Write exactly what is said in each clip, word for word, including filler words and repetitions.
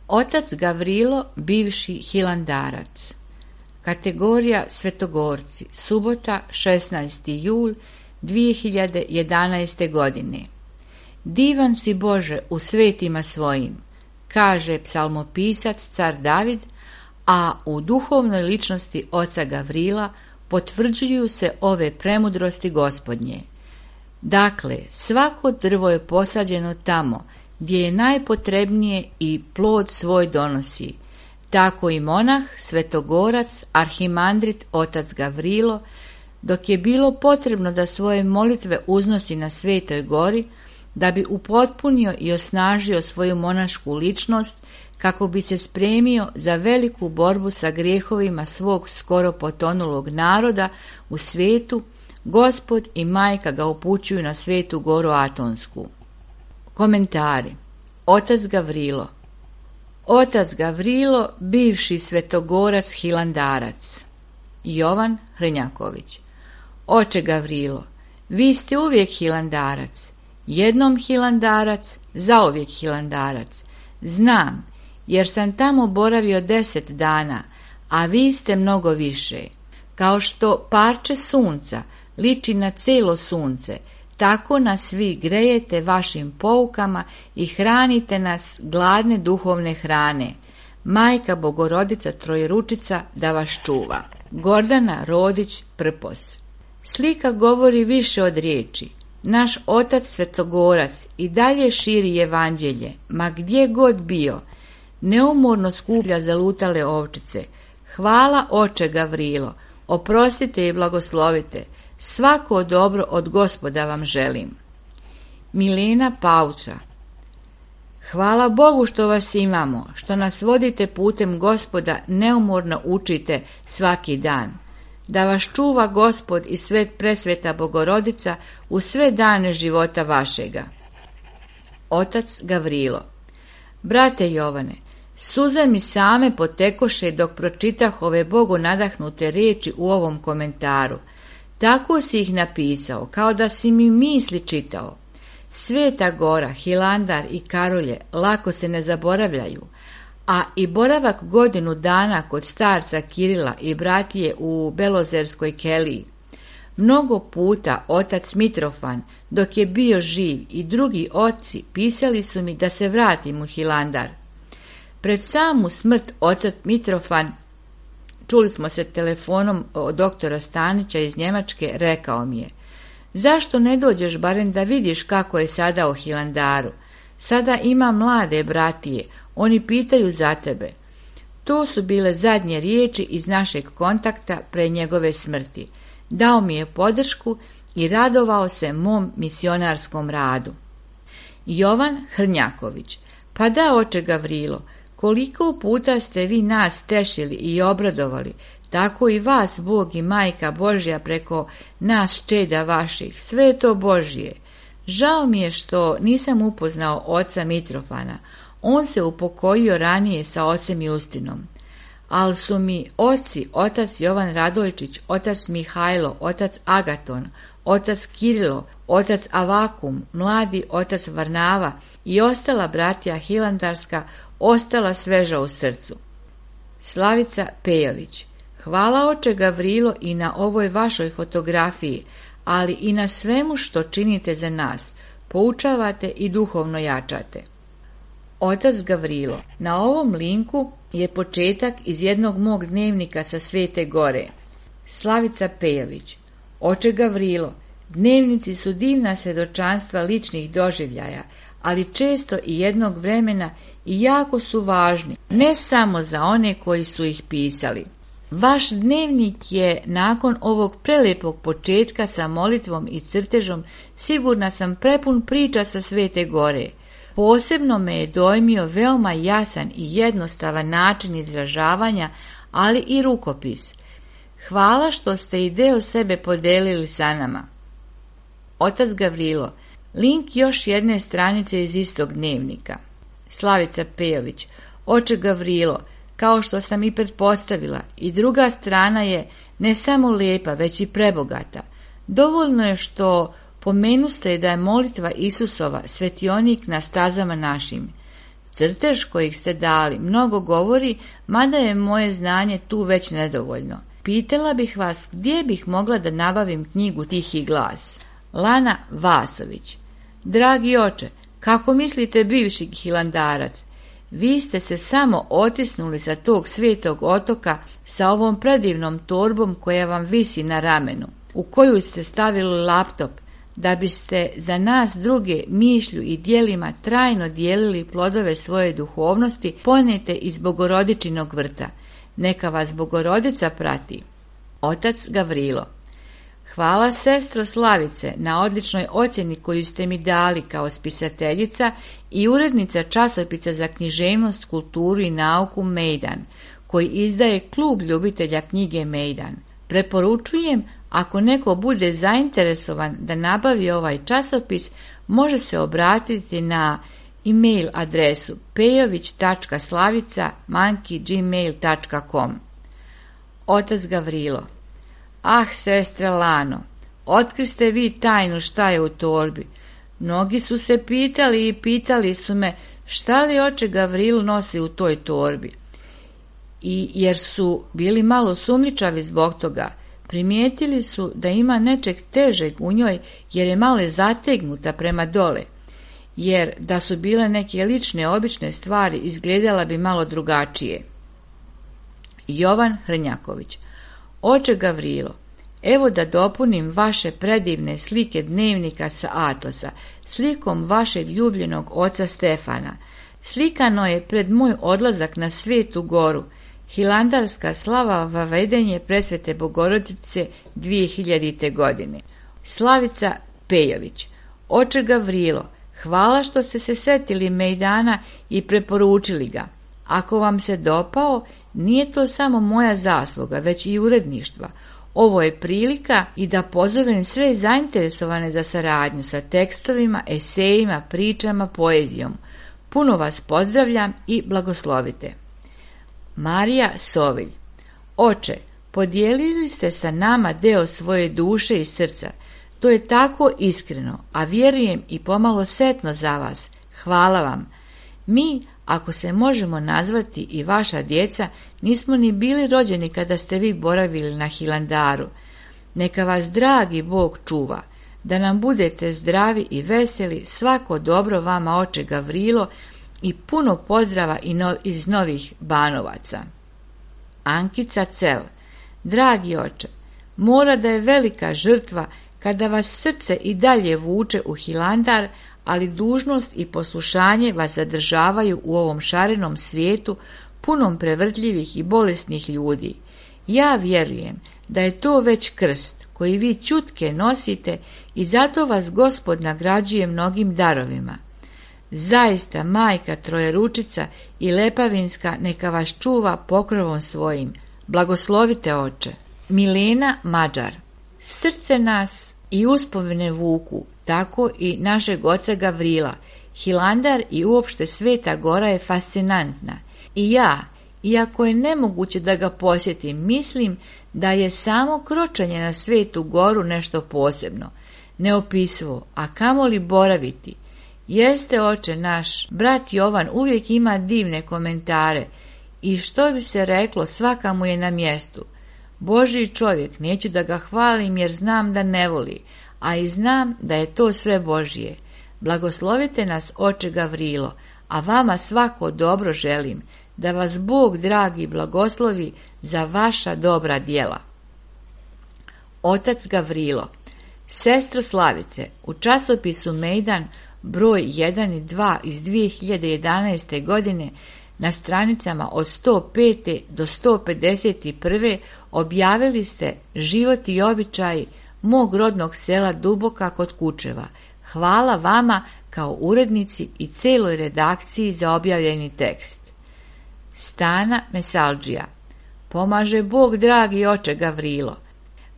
Otac Gavrilo, bivši hilandarac. Kategorija Svetogorci. Subota, šesnaesti jul dvije hiljade jedanaeste. godine. Divan si Bože u svetima svojim, kaže psalmopisac car David, a u duhovnoj ličnosti oca Gavrila potvrđuju se ove premudrosti Gospodnje. Dakle, svako drvo je posađeno tamo gdje je najpotrebnije i plod svoj donosi. Tako i monah, svetogorac, arhimandrit otac Gavrilo, dok je bilo potrebno da svoje molitve uznosi na Svetoj gori, da bi upotpunio i osnažio svoju monašku ličnost, kako bi se spremio za veliku borbu sa grijehovima svog skoro potonulog naroda u svijetu, Gospod i majka ga upućuju na Svetu goru Atonsku. Komentari. Otac Gavrilo. Otac Gavrilo, bivši svetogorac hilandarac. Jovan Hrnjaković. Oče Gavrilo, vi ste uvijek hilandarac, jednom hilandarac, zauvijek hilandarac. Znam, jer sam tamo boravio deset dana, a vi ste mnogo više. Kao što parče sunca liči na cijelo sunce, tako nas vi grejete vašim poukama i hranite nas gladne duhovne hrane. Majka Bogorodica Trojeručica da vas čuva. Gordana Rodić Prpos. Slika govori više od riječi. Naš otac Svetogorac i dalje širi evanđelje, ma gdje god bio, neumorno skuplja zalutale ovčice. Hvala oče Gavrilo, oprostite i blagoslovite, svako dobro od Gospoda vam želim. Milena Pauča. Hvala Bogu što vas imamo, što nas vodite putem Gospoda, neumorno učite svaki dan. Da vas čuva Gospod i svet presveta Bogorodica u sve dane života vašega. Otac Gavrilo. Brate Jovane, suze mi same potekoše dok pročitah ove Bogu nadahnute riječi u ovom komentaru. Tako si ih napisao, kao da si mi misli čitao. Sveta gora, Hilandar i Karolje lako se ne zaboravljaju, a i boravak godinu dana kod starca Kirila i bratije u Belozerskoj keliji. Mnogo puta otac Mitrofan, dok je bio živ, i drugi oci pisali su mi da se vratim u Hilandar. Pred samu smrt otac Mitrofan, čuli smo se telefonom od doktora Stanića iz Njemačke, rekao mi je: zašto ne dođeš barem da vidiš kako je sada u Hilandaru? Sada ima mlade bratije, oni pitaju za tebe. To su bile zadnje riječi iz našeg kontakta pre njegove smrti. Dao mi je podršku i radovao se mom misionarskom radu. Jovan Hrnjaković. Pa da, oče Gavrilo, koliko puta ste vi nas tešili i obradovali, tako i vas Bog i Majka Božja preko nas čeda vaših, sve je to Božje. Žao mi je što nisam upoznao oca Mitrofana, on se upokojio ranije sa ocem Justinom. Ali su mi oci, otac Jovan Radojčić, otac Mihajlo, otac Agaton, otac Kirilo, otac Avakum, mladi otac Varnava i ostala bratija hilandarska ostala sveža u srcu. Slavica Pejović. Hvala oče Gavrilo i na ovoj vašoj fotografiji, ali i na svemu što činite za nas, poučavate i duhovno jačate. Otac Gavrilo. Na ovom linku je početak iz jednog mog dnevnika sa Svete gore. Slavica Pejović. Oče Gavrilo, dnevnici su divna svjedočanstva ličnih doživljaja, ali često i jednog vremena i jako su važni, ne samo za one koji su ih pisali. Vaš dnevnik je nakon ovog prelepog početka sa molitvom i crtežom, sigurna sam, prepun priča sa Svete gore. Posebno me je dojmio veoma jasan i jednostavan način izražavanja, ali i rukopis. Hvala što ste i deo sebe podelili sa nama. Otac Gavrilo. Link još jedne stranice iz istog dnevnika. Slavica Pejović. Oče Gavrilo, kao što sam i pretpostavila, i druga strana je ne samo lijepa, već i prebogata. Dovoljno je što pomenuste da je molitva Isusova svetionik na stazama našim. Crtež kojih ste dali mnogo govori, mada je moje znanje tu već nedovoljno. Pitala bih vas gdje bih mogla da nabavim knjigu Tihi glas. Lana Vasović. Dragi oče, kako mislite bivši hilandarac? Vi ste se samo otisnuli sa tog svetog otoka sa ovom predivnom torbom koja vam visi na ramenu, u koju ste stavili laptop, da biste za nas druge mišlju i djelima trajno dijelili plodove svoje duhovnosti ponete iz Bogorodičinog vrta. Neka vas Bogorodica prati. Otac Gavrilo. Hvala sestro Slavice na odličnoj ocjeni koju ste mi dali kao spisateljica i urednica časopisa za književnost, kulturu i nauku Mejdan, koji izdaje klub ljubitelja knjige Mejdan. Preporučujem, ako neko bude zainteresovan da nabavi ovaj časopis, može se obratiti na e-mail adresu pejović tačka slavica manki gmail tačka com. Otac Gavrilo. Ah, sestra Lano, otkriste vi tajnu šta je u torbi. Mnogi su se pitali i pitali su me šta li oče Gavrilo nosi u toj torbi. I jer su bili malo sumnjičavi zbog toga, primijetili su da ima nečeg težeg u njoj jer je malo zategnuta prema dole, jer da su bile neke lične obične stvari izgledala bi malo drugačije. Jovan Hrnjaković. Oče Gavrilo, evo da dopunim vaše predivne slike dnevnika sa atlasa, slikom vašeg ljubljenog oca Stefana. Slikano je pred moj odlazak na Svetu goru, hilandarska slava vavedenje presvete Bogorodice dvije hiljadite. godine. Slavica Pejović. Oče Gavrilo, hvala što ste se setili Mejdana i preporučili ga. Ako vam se dopao, nije to samo moja zasluga, već i uredništva. Ovo je prilika i da pozovem sve zainteresovane za saradnju sa tekstovima, esejima, pričama, poezijom. Puno vas pozdravljam i blagoslovite. Marija Sovilj. Oče, podijelili ste sa nama deo svoje duše i srca. To je tako iskreno, a vjerujem i pomalo setno za vas. Hvala vam. Mi, ako se možemo nazvati i vaša djeca, nismo ni bili rođeni kada ste vi boravili na Hilandaru. Neka vas dragi Bog čuva, da nam budete zdravi i veseli, svako dobro vama oče Gavrilo i puno pozdrava iz Novih Banovaca. Ankica Cel. Dragi oče, mora da je velika žrtva kada vas srce i dalje vuče u Hilandar, ali dužnost i poslušanje vas zadržavaju u ovom šarenom svijetu punom prevrtljivih i bolesnih ljudi. Ja vjerujem da je to već krst koji vi ćutke nosite i zato vas Gospod nagrađuje mnogim darovima. Zaista majka Trojeručica i Lepavinska neka vas čuva pokrovom svojim. Blagoslovite oče. Milena Mađar. Srce nas i uspomene vuku, tako i našeg oca Gavrila. Hilandar i uopšte Sveta Gora je fascinantna. I ja, iako je nemoguće da ga posjetim, mislim da je samo kročanje na Svetu Goru nešto posebno, neopisivo, a kamoli boraviti. Jeste oče naš, brat Jovan uvijek ima divne komentare i što bi se reklo, svaka mu je na mjestu. Božji čovjek, neću da ga hvalim jer znam da ne voli, a i znam da je to sve Božje. Blagoslovite nas oče Gavrilo, a vama svako dobro želim, da vas Bog dragi blagoslovi za vaša dobra djela. Otac Gavrilo. Sestro Slavice, u časopisu Mejdan broj jedan i dva iz dvije hiljade jedanaeste. godine na stranicama od sto pete do sto pedeset prve. objavili ste život i običaj mog rodnog sela Duboka kod Kučeva. Hvala vama kao urednici i celoj redakciji za objavljeni tekst. Stana Mesalđija. Pomaže Bog dragi oče Gavrilo.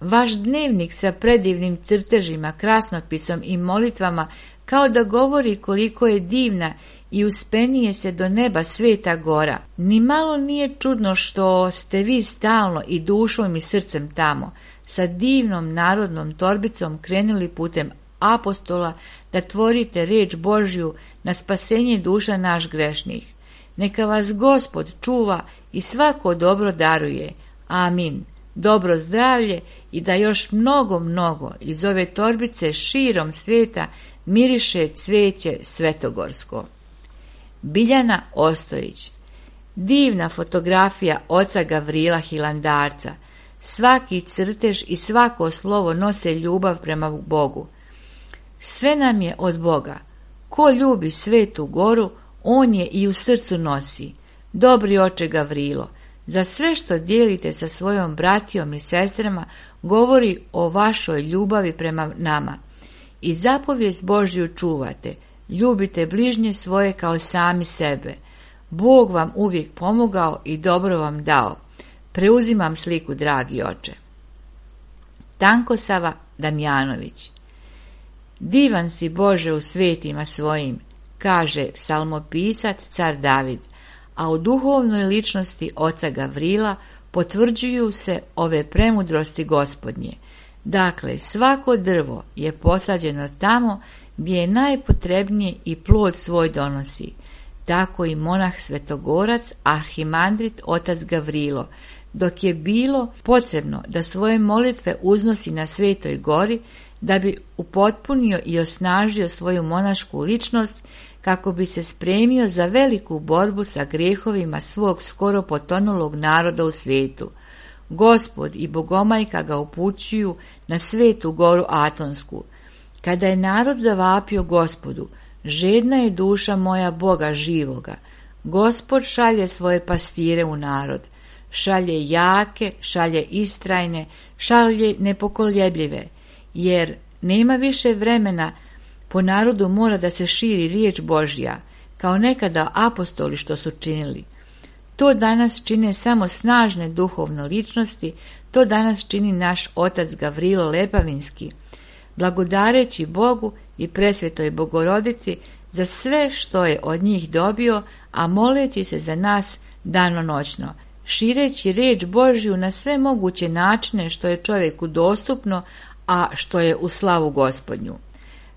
Vaš dnevnik sa predivnim crtežima, krasnopisom i molitvama kao da govori koliko je divna i uspenije se do neba Sveta Gora. Ni malo nije čudno što ste vi stalno i dušom i srcem tamo, sa divnom narodnom torbicom krenuli putem apostola da tvorite riječ Božju na spasenje duša naš grešnih. Neka vas Gospod čuva i svako dobro daruje. Amin. Dobro zdravlje i da još mnogo, mnogo iz ove torbice širom svijeta miriše cvijeće svetogorsko. Biljana Ostojić. Divna fotografija oca Gavrila Hilandarca. Svaki crtež i svako slovo nose ljubav prema Bogu. Sve nam je od Boga. Ko ljubi svetu goru, on je i u srcu nosi. Dobri oče Gavrilo, za sve što dijelite sa svojom bratijom i sestrama govori o vašoj ljubavi prema nama. I zapovijest Božju čuvate, ljubite bližnje svoje kao sami sebe. Bog vam uvijek pomogao i dobro vam dao. Preuzimam sliku, dragi oče. Tankosava Damjanović. Divan si Bože u svetima svojim, kaže psalmopisac car David, a u duhovnoj ličnosti oca Gavrila potvrđuju se ove premudrosti Gospodnje. Dakle, svako drvo je posađeno tamo gdje je najpotrebnije i plod svoj donosi. Tako i monah Svetogorac, arhimandrit otac Gavrilo, dok je bilo potrebno da svoje molitve uznosi na Svetoj gori, da bi upotpunio i osnažio svoju monašku ličnost, kako bi se spremio za veliku borbu sa grijehovima svog skoro potonulog naroda u svijetu. Gospod i Bogomajka ga upućuju na Svetu goru Atonsku. Kada je narod zavapio Gospodu, žedna je duša moja Boga živoga. Gospod šalje svoje pastire u narod. Šalje jake, šalje istrajne, šalje nepokoljebljive, jer nema više vremena, po narodu mora da se širi riječ Božja, kao nekada apostoli što su činili. To danas čine samo snažne duhovne ličnosti, to danas čini naš otac Gavrilo Lepavinski, blagodareći Bogu i presvetoj Bogorodici za sve što je od njih dobio, a moleći se za nas danonoćno, šireći riječ Božju na sve moguće načine što je čovjeku dostupno, a što je u slavu Gospodnju.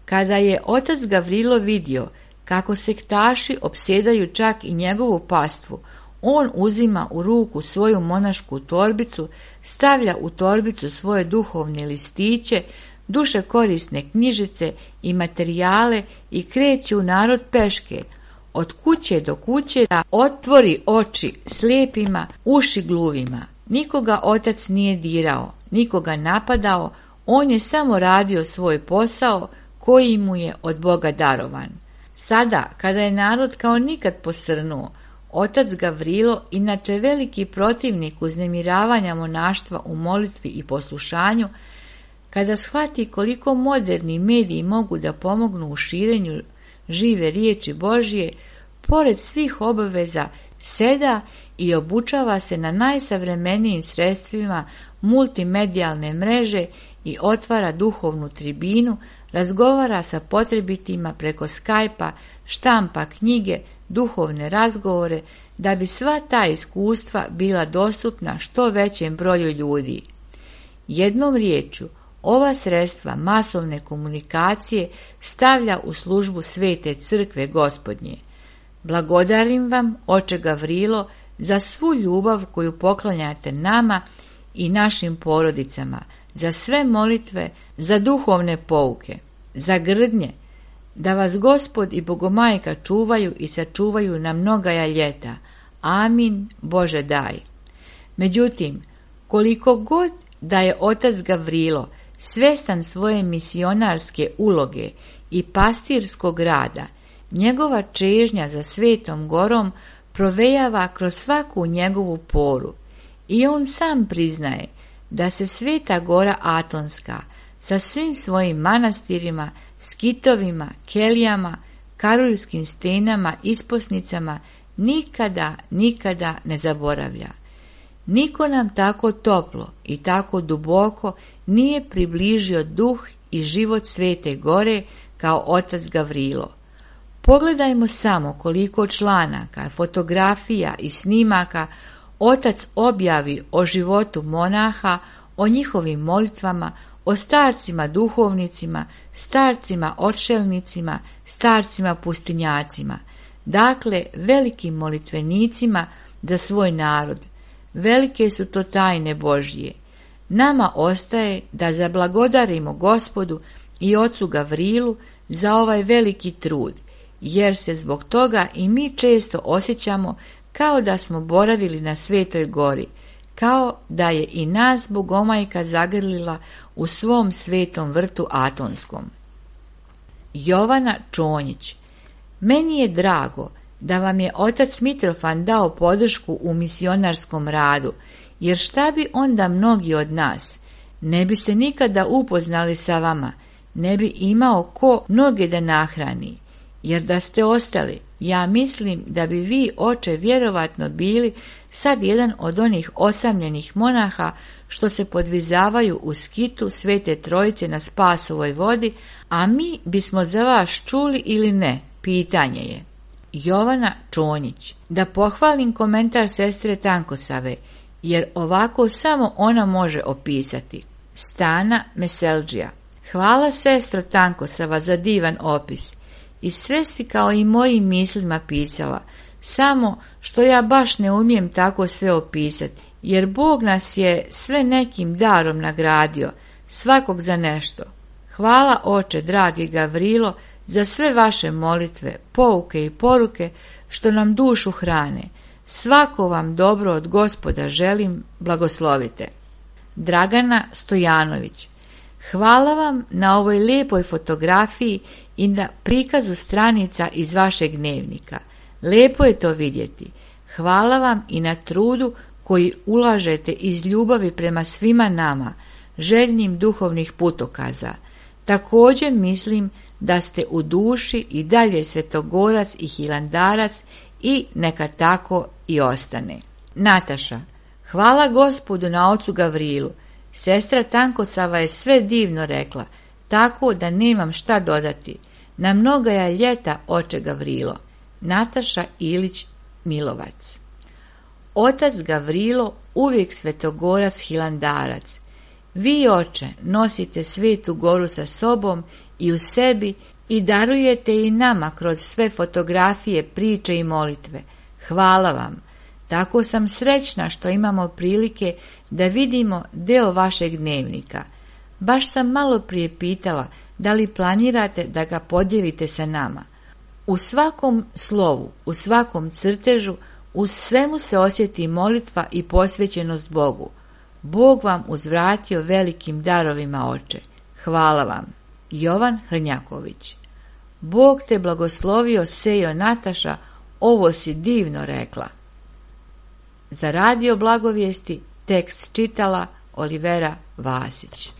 Kada je otac Gavrilo vidio kako sektaši opsjedaju čak i njegovu pastvu, on uzima u ruku svoju monašku torbicu, stavlja u torbicu svoje duhovne listiće, duše korisne knjižice i materijale i kreće u narod peške, od kuće do kuće, da otvori oči slijepima, uši gluvima. Nikoga otac nije dirao, nikoga napadao, on je samo radio svoj posao koji mu je od Boga darovan. Sada, kada je narod kao nikad posrnuo, otac Gavrilo, inače veliki protivnik uznemiravanja monaštva u molitvi i poslušanju, kada shvati koliko moderni mediji mogu da pomognu u širenju žive riječi Božje, pored svih obaveza seda i obučava se na najsavremenijim sredstvima multimedijalne mreže i otvara duhovnu tribinu, razgovara sa potrebitima preko Skype-a, štampa knjige, duhovne razgovore, da bi sva ta iskustva bila dostupna što većem broju ljudi. Jednom riječju, ova sredstva masovne komunikacije stavlja u službu Svete crkve Gospodnje. Blagodarim vam, oče Gavrilo, za svu ljubav koju poklanjate nama i našim porodicama, za sve molitve, za duhovne pouke, za grdnje, da vas Gospod i Bogomajka čuvaju i sačuvaju na mnogaja ljeta. Amin, Bože daj. Međutim, koliko god da je otac Gavrilo svjestan svoje misionarske uloge i pastirskog rada, njegova čežnja za Svetom gorom provejava kroz svaku njegovu poru i on sam priznaje da se Sveta gora Atonska sa svim svojim manastirima, skitovima, kelijama, karuljskim stenama, isposnicama nikada, nikada ne zaboravlja. Niko nam tako toplo i tako duboko nije približio duh i život Svete gore kao otac Gavrilo. Pogledajmo samo koliko članaka, fotografija i snimaka otac objavi o životu monaha, o njihovim molitvama, o starcima duhovnicima, starcima odšelnicima, starcima pustinjacima, dakle velikim molitvenicima za svoj narod. Velike su to tajne Božje. Nama ostaje da zablagodarimo Gospodu i ocu Gavrilu za ovaj veliki trud, jer se zbog toga i mi često osjećamo kao da smo boravili na Svetoj gori, kao da je i nas Bogomajka zagrlila u svom svetom vrtu Atonskom. Jovana Čonjić. Meni je drago da vam je otac Mitrofan dao podršku u misionarskom radu, jer šta bi onda mnogi od nas? Ne bi se nikada upoznali sa vama, ne bi imao ko mnoge da nahrani, jer da ste ostali, ja mislim da bi vi, oče, vjerovatno bili sad jedan od onih osamljenih monaha što se podvizavaju u skitu Svete Trojice na Spasovoj vodi, a mi bismo za vas čuli ili ne, pitanje je. Jovana Čonjić. Da pohvalim komentar sestre Tankosave, jer ovako samo ona može opisati. Stana Meseldžija. Hvala sestro Tankosava za divan opis. I sve si kao i mojim mislima pisala, samo što ja baš ne umijem tako sve opisati, jer Bog nas je sve nekim darom nagradio, svakog za nešto. Hvala oče, dragi Gavrilo, za sve vaše molitve, pouke i poruke što nam dušu hrane. Svako vam dobro od Gospoda želim, blagoslovite. Dragana Stojanović. Hvala vam na ovoj lijepoj fotografiji i na prikazu stranica iz vašeg dnevnika. Lepo je to vidjeti. Hvala vam i na trudu koji ulažete iz ljubavi prema svima nama, željnim duhovnih putokaza. Također mislim da ste u duši i dalje svetogorac i hilandarac i neka tako i ostane. Nataša. Hvala Gospodu na ocu Gavrilu. Sestra Tankosava je sve divno rekla, tako da nemam šta dodati. Na mnogaja ljeta, oče Gavrilo. Nataša Ilić Milovac. Otac Gavrilo uvijek svetogorac hilandarac. Vi, oče, nosite Svetu goru sa sobom i u sebi i darujete i nama kroz sve fotografije, priče i molitve. Hvala vam. Tako sam srećna što imamo prilike da vidimo deo vašeg dnevnika. Baš sam malo prije pitala da li planirate da ga podijelite sa nama. U svakom slovu, u svakom crtežu, u svemu se osjeti molitva i posvećenost Bogu. Bog vam uzvratio velikim darovima, oče. Hvala vam. Jovan Hrnjaković. Bog te blagoslovio, sejo Nataša, ovo si divno rekla. Za radio Blagovijesti tekst čitala Olivera Vasić.